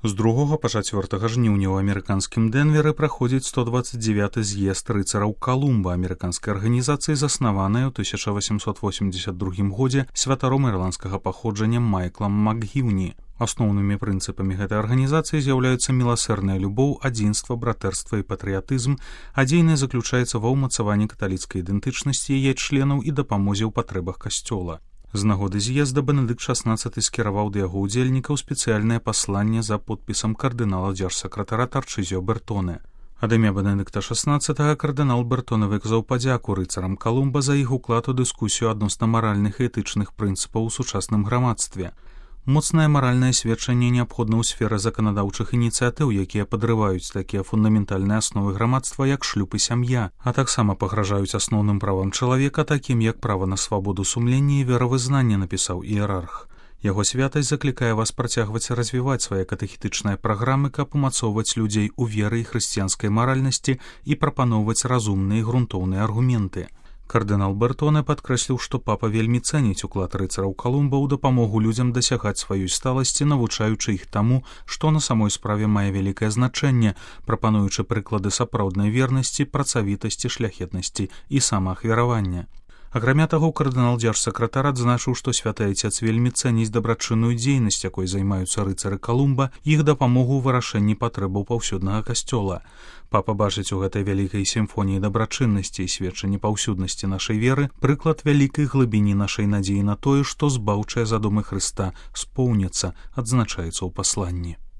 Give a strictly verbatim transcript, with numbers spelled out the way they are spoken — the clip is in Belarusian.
З другога па чацвёртага жніўня ў амерыканскім Дэнверы праходзіць сто дваццаць дзевяты з'езд рыцараў Калумба, амерыканскай арганізацыі, заснаванай у тысяча васемсот восемьдесят другім годзе святаром ірландскага паходжання Майклам Макгіўні. Асноўнымі прынцыпамі гэтай арганізацыі з'яўляюцца міласэрная любоў, адзінства, братэрства і патрыятызм, а дзейнасць заключаецца ва ўмацаванні каталіцкай ідэнтычнасці яе членаў і дапамозе ў патрэбах касцёла. З нагоды з'езда Бенедыкт шаснаццаты скіраваў да яго ўдзельнікаў спецыяльнае пасланне за подпісам кардынала дзяржсакратара Тарчызіо Бертоне. Ад імя Бенедыкта шаснаццатага кардынал Бертоне выказаў падзяку рыцарам Калумба за іх уклад у дыскусію адносна маральных і этычных прынцыпаў у сучасным грамадстве. Моцнае маральнае сведчанне неабходна ў сферы заканадаўчых ініцыятыў, якія падрываюць такія фундаментальныя асновы грамадства, як шлюб і сям'я, а таксама пагражаюць асноўным правам чалавека, такім як права на свабоду сумлення і веравызнання, напісаў іерарх. Яго святасць заклікае вас працягваць развіваць свае катэхетычныя праграмы, каб умацоўваць людзей у веры і хрысціянскай маральнасці і прапаноўваць разумныя і грунтоўныя аргументы. Кардынал Бертоне падкрэсліў, што папа вельмі цэніць уклад рыцараў Калумба ў дапамогу людзям дасягаць сваёй сталасці, навучаючы іх таму, што на самой справе мае вялікае значэнне, прапануючы прыклады сапраўднай вернасці, працавітасці, шляхетнасці і самаахвяравання. Акрамя таго, кардынал дзяржсакратар адзначыў, што святы айцец вельмі цэніць дабрачынную дзейнасць, якой займаюцца рыцары Калумба, іх дапамогу ў вырашэнні патрэбаў паўсюднага касцёла. Папа бачыць у гэтай вялікай сімфоніі дабрачыннасці і сведчанні паўсюднасці нашай веры прыклад вялікай глыбіні нашай надзеі на тое, што збаўчыя задумы Хрыста споўняцца, адзначаецца ў пасланні.